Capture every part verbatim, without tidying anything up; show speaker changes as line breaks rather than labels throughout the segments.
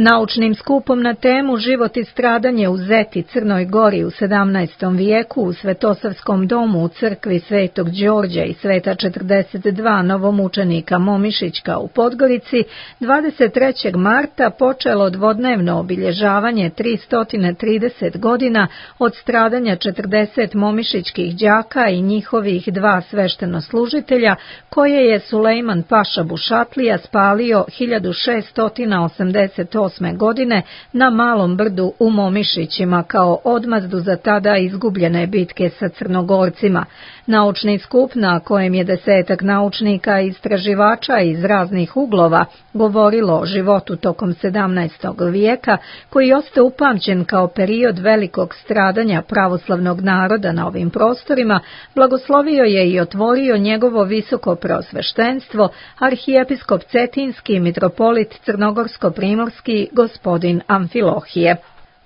Naučnim skupom na temu Život i stradanje u Zeti, Crnoj Gori u sedamnaestom vijeku u Svetosavskom domu u crkvi Svetog Đorđa i Sveta četrdeset dva novomučenika Momišićka u Podgorici dvadeset trećeg marta počelo dvodnevno obilježavanje tristo trideset godina od stradanja četrdeset momišićkih đaka i njihovih dva sveštenoslužitelja koje je Sulejman Paša Bušatlija spalio hiljadu šeststo osamdeset osme. godine na Malom brdu u Momišićima kao odmazdu za tada izgubljene bitke sa Crnogorcima. Naučni skup na kojem je desetak naučnika i istraživača iz raznih uglova govorilo o životu tokom sedamnaestog vijeka, koji ostaje upamćen kao period velikog stradanja pravoslavnog naroda na ovim prostorima, blagoslovio je i otvorio njegovo visoko preosveštenstvo, arhijepiskop Cetinski, mitropolit Crnogorsko-primorski, gospodin Amfilohije.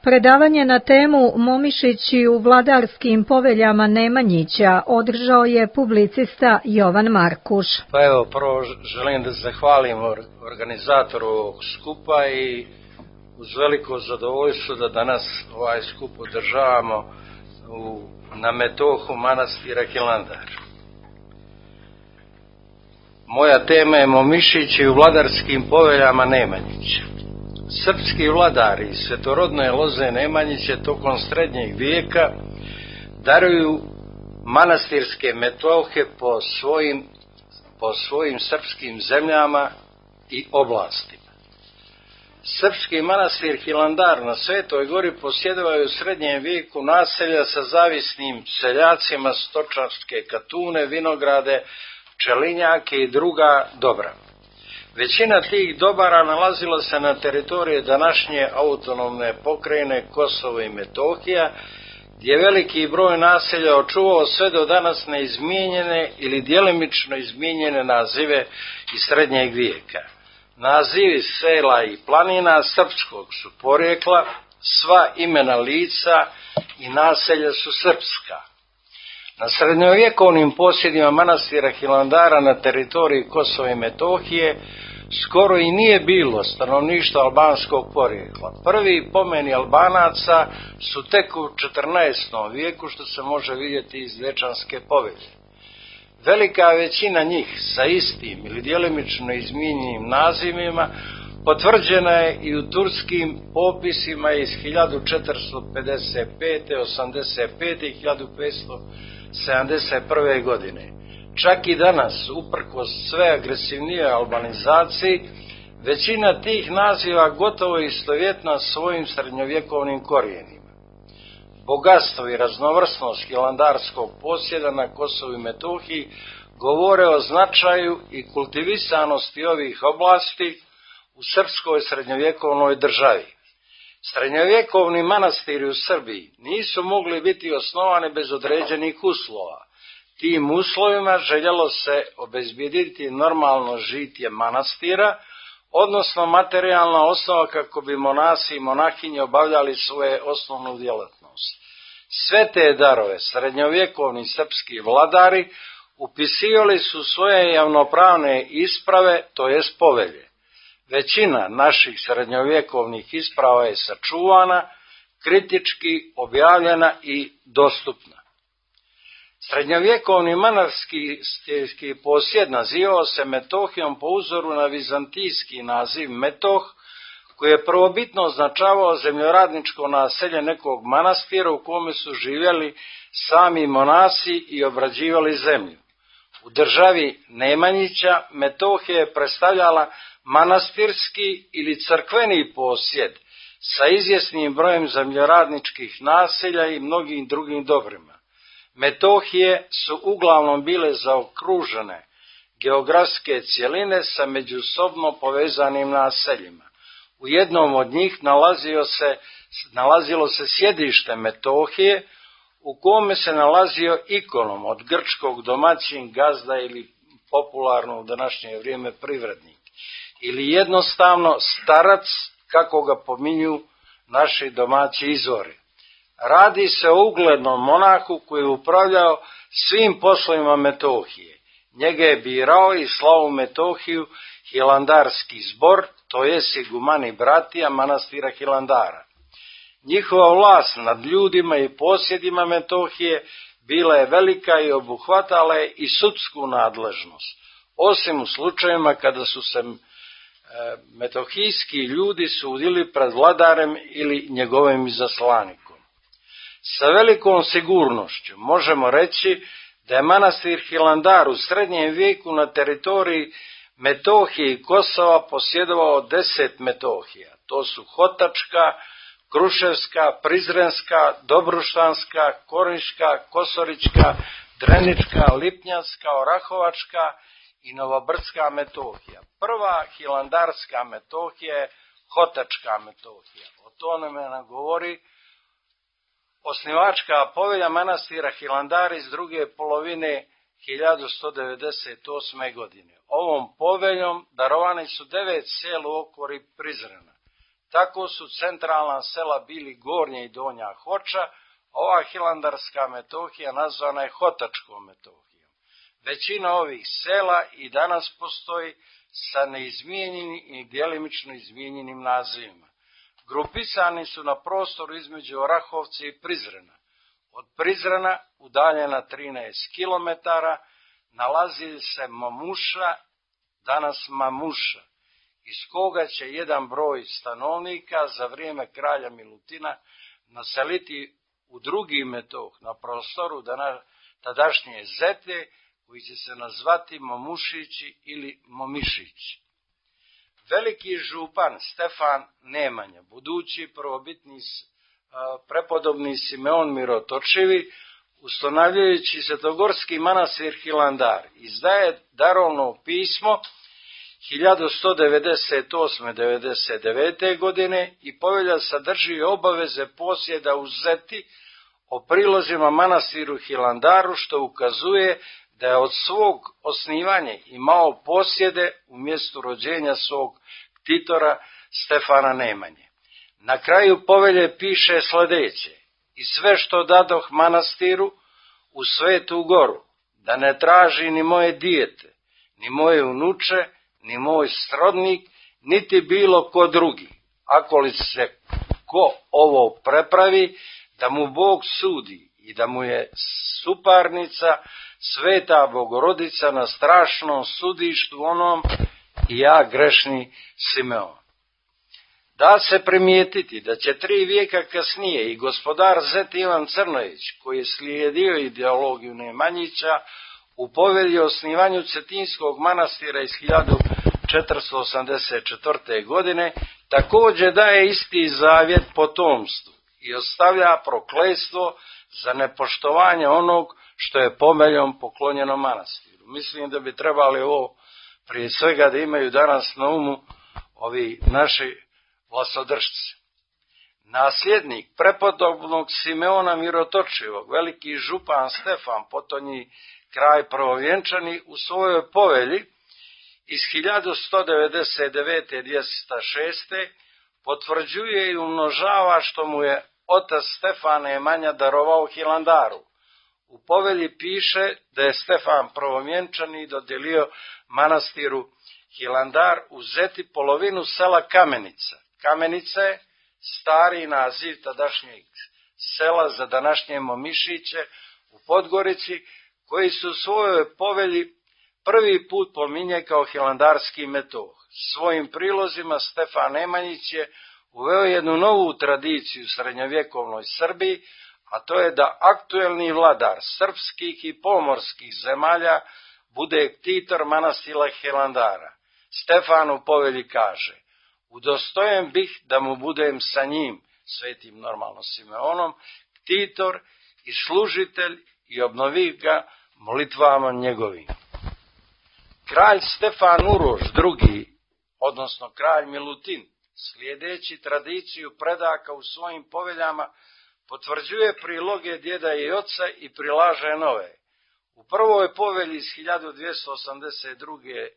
Predavanje na temu Momišići u vladarskim poveljama Nemanjića održao je publicista Jovan Markuš.
Pa evo, prvo želim da zahvalim organizatoru ovog skupa i uz veliko zadovoljstvo da danas ovaj skup održavamo u, na metohu manastira Hilandar. Moja tema je Momišići u vladarskim poveljama Nemanjića. Srpski vladari iz svetorodne loze Nemanjiće tokom srednjeg vijeka daruju manastirske metohe po svojim, po svojim srpskim zemljama i oblastima. Srpski manastir Hilandar na Svetoj Gori posjedovaju u srednjem vijeku naselja sa zavisnim seljacima, stočarske katune, vinograde, pčelinjake i druga dobra. Većina tih dobara nalazila se na teritoriji današnje autonomne pokrajine Kosovo i Metohija, gdje veliki broj naselja očuvao sve do danas neizmijenjene ili djelimično izmijenjene nazive iz srednjeg vijeka. Nazivi sela i planina srpskog su porijekla, sva imena lica i naselja su srpska. Na srednjovjekovnim posjedima manastira Hilandara na teritoriji Kosova i Metohije skoro i nije bilo stanovništva albanskog porijekla. Prvi pomeni Albanaca su tek u četrnaestom vijeku, što se može vidjeti iz Dečanske povelje. Velika većina njih sa istim ili djelimično izmijenjenim nazivima potvrđena je i u turskim popisima iz hiljadu četiristo pedeset pete, osamdeset pete i hiljadu petsto sedamdeset prve. godine. Čak i danas, uprkos sve agresivnije albanizaciji, većina tih naziva gotovo istovjetna svojim srednjovjekovnim korijenima. Bogatstvo i raznovrsnost hilandarskog posjeda na Kosovu i Metohiji govore o značaju i kultivisanosti ovih oblasti u srpskoj srednjovjekovnoj državi. Srednjovjekovni manastiri u Srbiji nisu mogli biti osnovani bez određenih uslova. Tim uslovima željelo se obezbijediti normalno žitje manastira, odnosno materijalna osnova kako bi monasi i monahinje obavljali svoje osnovnu djelatnost. Sve te darove srednjovjekovni srpski vladari upisivali su svoje javnopravne isprave, to jest povelje. Većina naših srednjovjekovnih isprava je sačuvana, kritički objavljena i dostupna. Srednjovjekovni manastirski posjed nazivao se Metohijom po uzoru na vizantijski naziv Metoh, koji je prvobitno označavao zemljoradničko naselje nekog manastira u kome su živjeli sami monasi i obrađivali zemlju. U državi Nemanjića Metohija je predstavljala manastirski ili crkveni posjed sa izvjesnim brojem zemljoradničkih naselja i mnogim drugim dobrima. Metohije su uglavnom bile zaokružene geografske cjeline sa međusobno povezanim naseljima. U jednom od njih nalazio se, nalazilo se sjedište Metohije, u kome se nalazio ikonom od grčkog domaćin, gazda ili popularno u današnje vrijeme privrednik, ili jednostavno starac, kako ga pominju naši domaći izvori. Radi se o uglednom monahu koji je upravljao svim poslovima Metohije. Njega je birao i slao u Metohiju Hilandarski zbor, to jest igumani bratija manastira Hilandara. Njihova vlast nad ljudima i posjedima Metohije bila je velika i obuhvatala je i sudsku nadležnost, osim u slučajevima kada su se metohijski ljudi sudili pred vladarem ili njegovim izaslanikom. Sa velikom sigurnošću možemo reći da je manastir Hilandar u srednjem vijeku na teritoriji Metohije i Kosova posjedovao deset Metohija. To su Hotačka, Kruševska, Prizrenska, Dobruštanska, Korniška, Kosorička, Drenička, Lipnjanska, Orahovačka i Novobrdska Metohija. Prva hilandarska Metohija je Hotačka Metohija. O tome nam govori osnivačka povelja manastira Hilandar iz druge polovine hiljadu sto devedeset osme. godine. Ovom poveljom darovani su devet sela u okori Prizrena. Tako su centralna sela bili Gornja i Donja Hoča, ova hilandarska Metohija nazvana je Hotačkom Metohijom. Većina ovih sela i danas postoji sa neizmijenjenim i djelimično izmijenjenim nazivima. Grupisani su na prostoru između Orahovca i Prizrena. Od Prizrena, udaljena trinaest kilometara, nalazi se Mamuša, danas Mamuša, iz koga će jedan broj stanovnika za vrijeme kralja Milutina naseliti u drugi Metoh na prostoru tadašnje Zete, koji će se nazvati Mamušići ili Momišići. Veliki župan Stefan Nemanja, budući prvobitni prepodobni Simeon Mirotočivi, ustanovljujući svetogorski manastir Hilandar, izdaje darovno pismo hiljadu sto devedeset osme do devedeset devete. godine i povelja sadrži obaveze posjeda u Zeti o prilozima manastiru Hilandaru, što ukazuje da je od svog osnivanja imao posjede u mjestu rođenja svog ktitora Stefana Nemanje. Na kraju povelje piše sljedeće: i sve što dadoh manastiru u Svetu Goru, da ne traži ni moje dijete, ni moje unuče, ni moj srodnik, niti bilo ko drugi. Ako li se ko ovo prepravi, da mu Bog sudi i da mu je suparnica Sveta Bogorodica na strašnom sudištu onom i ja grešni Simeon. Da se primijetiti da će tri vijeka kasnije i gospodar Zet Ivan Crnojević, koji je slijedio ideologiju Nemanjića, u povelji o osnivanju Cetinskog manastira iz hiljadu četiristo osamdeset četvrte. godine, također daje isti zavjet potomstvu i ostavlja prokletstvo za nepoštovanje onog što je poveljom poklonjeno manastiru. Mislim da bi trebali ovo prije svega da imaju danas na umu ovi naši vlastodržci. Nasljednik prepodobnog Simeona Mirotočivog, veliki župan Stefan, potonji kraj prvovjenčani, u svojoj povelji iz hiljadu sto devedeset devete. do dvjesto šeste. potvrđuje i umnožava što mu je otac Stefan Nemanja darovao Hilandaru. U povelji piše da je Stefan prvovjenčani dodijelio manastiru Hilandar u Zeti polovinu sela Kamenica. Kamenica je stari naziv tadašnjeg sela za današnje Momišiće u Podgorici, koji su u svojoj povelji prvi put pominje kao hilandarski metoh. Svojim prilozima Stefan Nemanjić je uveo jednu novu tradiciju u srednjovjekovnoj Srbiji, a to je da aktuelni vladar srpskih i pomorskih zemalja bude ktitor manastira Hilandara. Stefan u povelji kaže: udostojen bih da mu budem sa njim, svetim normalno Simeonom, ktitor i služitelj, i obnovi ga molitvama njegovim. Kralj Stefan Uroš drugi, odnosno kralj Milutin, slijedeći tradiciju predaka u svojim poveljama, potvrđuje priloge djeda i oca i prilaže nove. U prvoj povelji iz hiljadu dvjesto osamdeset druge. do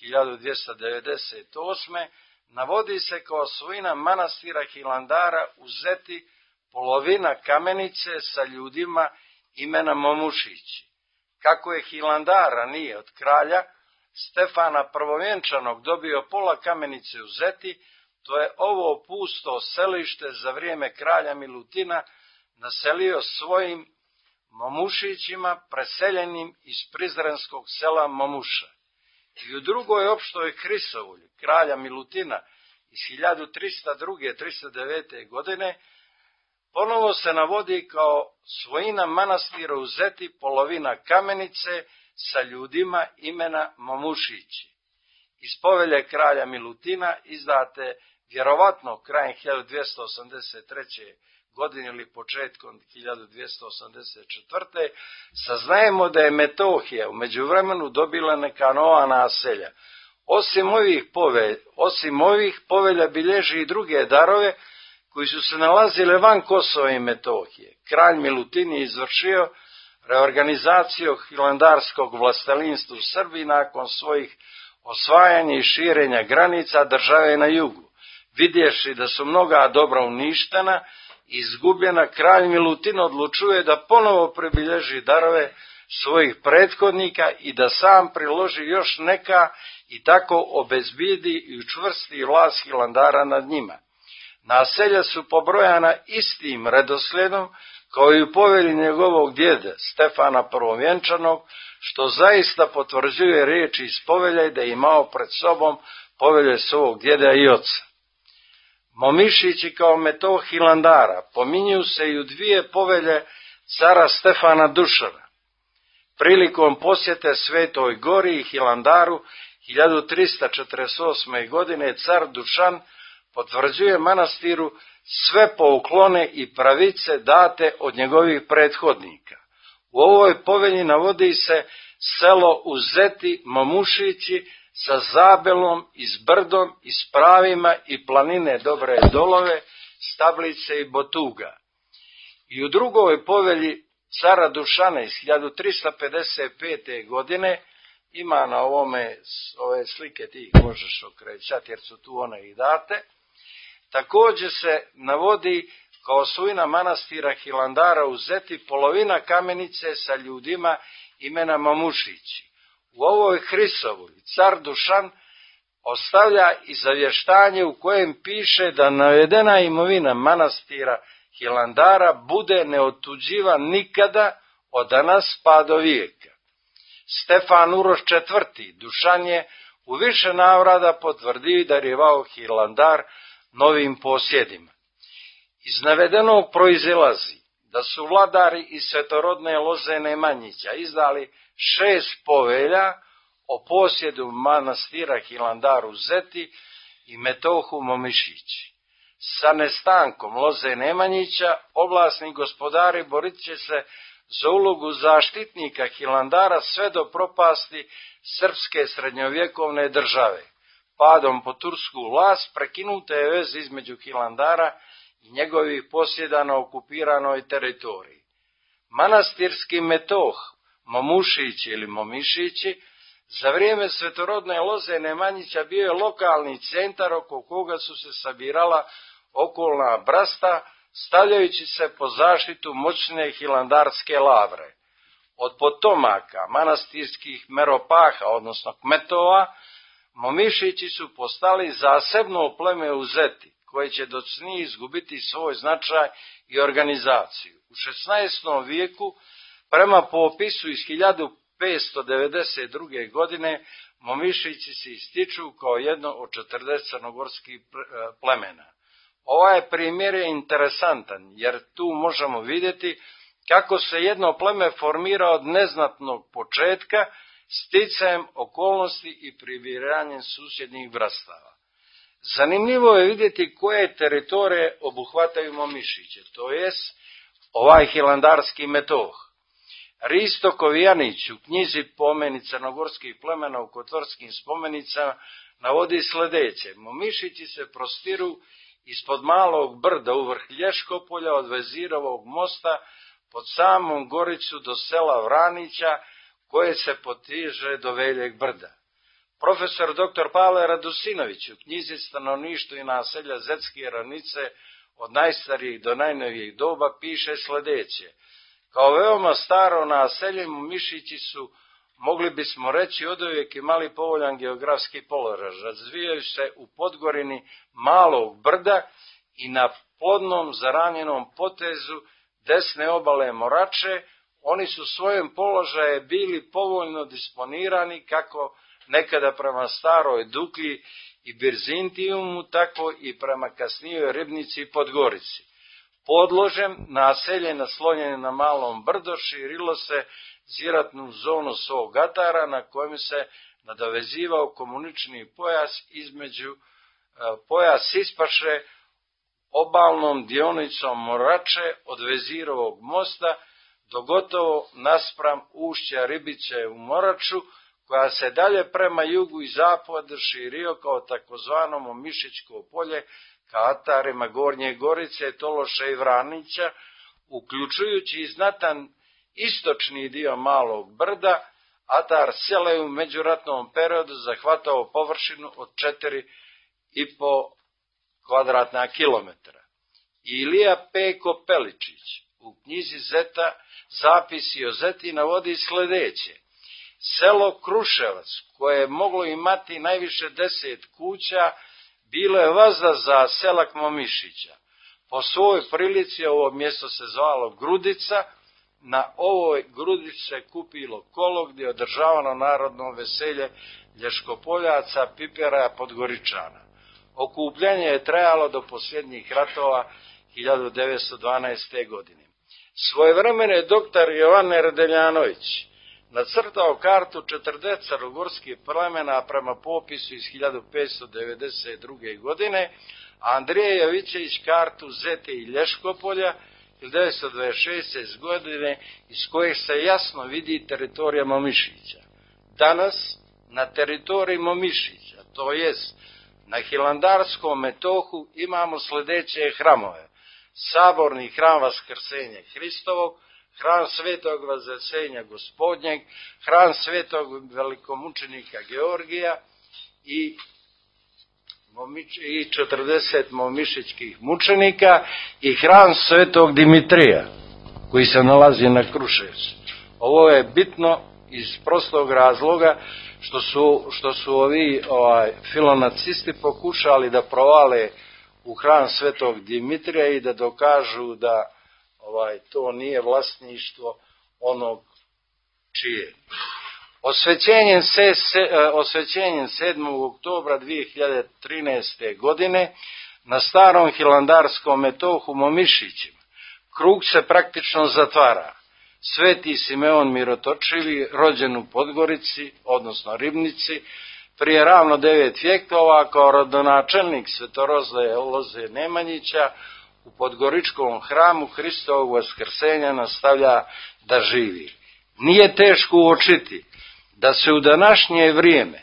hiljadu dvjesto devedeset osme. navodi se kao svojina manastira Hilandara u Zeti polovina Kamenice sa ljudima imena Momušići. Kako je Hilandara nije od kralja Stefana Prvovjenčanog dobio pola kamenice u Zeti, to je ovo pusto selište za vrijeme kralja Milutina naselio svojim Momušićima preseljenim iz prizrenskog sela Momuša. I u drugoj opštoj Hrisovulji kralja Milutina iz hiljadu trista druge do trista devete. godine ponovo se navodi kao svojina manastira u Zeti polovina kamenice sa ljudima imena Momušići. Iz povelje kralja Milutina izdate vjerovatno krajem hiljadu dvjesto osamdeset treće. godine ili početkom hiljadu dvjesto osamdeset četvrte. saznajemo da je Metohija u međuvremenu dobila neka nova naselja. Osim ovih povelja, osim ovih povelja bilježi i druge darove koji su se nalazile van Kosova i Metohije. Kralj Milutin je izvršio reorganizaciju hilandarskog vlastelinstva u Srbiji nakon svojih osvajanja i širenja granica države na jugu. Vidjevši da su mnoga dobra uništena i izgubljena, kralj Milutin odlučuje da ponovo pribilježi darove svojih prethodnika i da sam priloži još neka i tako obezbijedi i učvrsti vlast Hilandara nad njima. Naselja su pobrojana istim redoslijedom kao i u povelji njegovog djeda Stefana Prvovjenčanog, što zaista potvrđuje riječi iz povelje da je imao pred sobom povelje svog djeda i oca. Momišići kao metoh Hilandara pominju se i u dvije povelje cara Stefana Dušana. Prilikom posjete Svetoj Gori i Hilandaru hiljadu trista četrdeset osme. godine car Dušan potvrđuje manastiru sve pouklone i pravice date od njegovih prethodnika. U ovoj povelji navodi se selo u Zeti Momušići sa zabelom i s brdom i s pravima i planine Dobre Dolove, Stablice i Botuga. I u drugoj povelji cara Dušana iz hiljadu trista pedeset pete. godine, ima na ovome ove slike, ti ih možeš okrećati jer su tu one i date, također se navodi kao svojina manastira Hilandara u Zeti polovina kamenice sa ljudima imena Momušići. U ovoj Hrisovulji car Dušan ostavlja i zavještanje u kojem piše da navedena imovina manastira Hilandara bude neotuđiva nikada od danas pa do vijeka. Stefan Uroš četvrti. Dušan je u više navrata potvrdio i darivao Hilandar novim posjedima. Iz navedenog proizilazi da su vladari iz svetorodne loze Nemanjića izdali šest povelja o posjedu manastira Hilandar u Zeti i metohu Momišići. Sa nestankom loze Nemanjića oblasni gospodari borit će se za ulogu zaštitnika Hilandara sve do propasti srpske srednjovjekovne države. Padom po tursku vlast prekinuta je veza između Hilandara i njegovih posjeda na okupiranoj teritoriji. Manastirski metoh Momušići ili Momišići za vrijeme svetorodne loze Nemanjića bio je lokalni centar oko koga su se sabirala okolna brasta, stavljajući se po zaštitu moćne hilandarske lavre. Od potomaka manastirskih meropaha, odnosno kmetova, Momišići su postali zasebno pleme u Zeti, koje će docnije izgubiti svoj značaj i organizaciju. U šesnaestom vijeku, prema popisu iz hiljadu petsto devedeset druge. godine, Momišići se ističu kao jedno od četrdeset crnogorskih plemena. Ovaj primjer je interesantan, jer tu možemo vidjeti kako se jedno pleme formira od neznatnog početka, sticajem okolnosti i pribiranjem susjednih vrstava. Zanimljivo je vidjeti koje teritorije obuhvataju Momišiće, to jest ovaj hilandarski metoh. Risto Kovijanić u knjizi Pomeni crnogorskih plemena u Kotorskim spomenicama navodi sljedeće: Momišići se prostiru ispod malog brda u vrh Lješkopolja od Vezirovog mosta pod samom Goricu do sela Vranića, koje se potiže do Veljeg brda. Profesor doktor Pavle Radusinović u knjizi Stanovništvo i naselja Zetske ravnice od najstarijih do najnovijih doba piše sljedeće: kao veoma staro naselje Momišići su mogli bismo reći oduvijek imali povoljan geografski položaj. Razvijaju se u podgorini malog brda i na plodnom zaranjenom potezu desne obale Morače. Oni su svojim položajem bili povoljno disponirani kako nekada prema Staroj Duklji i Birzintijumu, tako i prema kasnijoj Ribnici i Podgorici. Podložem naselje naslonjene na malom brdo širilo se ziratnu zonu svog atara na kojem se nadovezivao komunični pojas između pojas ispaše obalnom dionicom Morače od Vezirovog mosta do gotovo naspram ušća Ribice u Moraču, koja se dalje prema jugu i zapadu širio kao takozvano Momišićko polje ka atarima Gornje Gorice, Tološa i Vranića, uključujući i znatan istočni dio malog brda. Atar sela je u međuratnom periodu zahvatao površinu od četiri i po kvadratna kilometra. Ilija Peko Peličić u knjizi Zeta Zapisi o Zeti navodi sljedeće: selo Kruševac, koje je moglo imati najviše deset kuća, bilo je vazda za selak Momišića. Po svojoj prilici ovo mjesto se zvalo Grudica. Na ovoj Grudici se kupilo kolo gdje je održavano narodno veselje Lješkopoljaca, Pipera, Podgoričana. Okupljanje je trajalo do posljednjih ratova hiljadu devetsto dvanaeste. godine. Svojevremeno je doktor Jovan Erdeljanović nacrtao kartu četrdeset crnogorskih plemena prema popisu iz hiljadu petsto devedeset druge. godine, a Andrije Jovićević kartu Zete i Lješkopolja hiljadu devetsto dvadeset šeste. godine, iz kojih se jasno vidi teritorija Momišića. Danas na teritoriji Momišića, to jest na Hilandarskom metohu, imamo sljedeće hramove: Saborni hram Vaskrsenja Hristovog, hram Svetog Vaznesenja Gospodnjeg, hram Svetog velikomučenika Georgija i i četrdeset momišićkih mučenika i hram Svetog Dimitrija koji se nalazi na Kruševcu. Ovo je bitno iz prostog razloga što su, što su ovi ovaj, filonacisti pokušali da provale u hram Svetog Dimitrija i da dokažu da ovaj, to nije vlasništvo onog čije. Osvećenjem, se, se, osvećenjem sedmog oktobra dvije hiljade trinaeste. godine na starom Hilandarskom metohu Momišićima krug se praktično zatvara. Sveti Simeon Mirotočivi, rođen u Podgorici, odnosno Ribnici, prije ravno devet vjekova, kao rodonačelnik Svetoroze Loze Nemanjića, u Podgoričkom hramu Hristovog Vaskrsenja nastavlja da živi. Nije teško uočiti da se u današnje vrijeme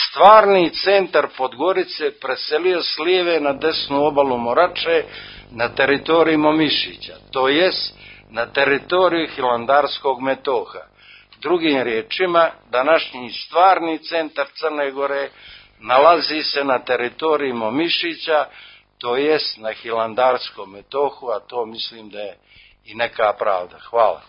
stvarni centar Podgorice preselio s lijeve na desnu obalu Morače na teritoriji Momišića, to jest na teritoriju Hilandarskog metoha. Drugim riječima, današnji stvarni centar Crne Gore nalazi se na teritoriji Momišića, to jest na Hilandarskom metohu, a to mislim da je i neka pravda. Hvala.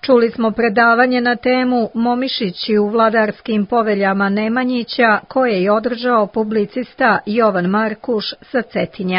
Čuli smo predavanje na temu Momišići u vladarskim poveljama Nemanjića, koje je održao publicista Jovan Markuš sa Cetinja.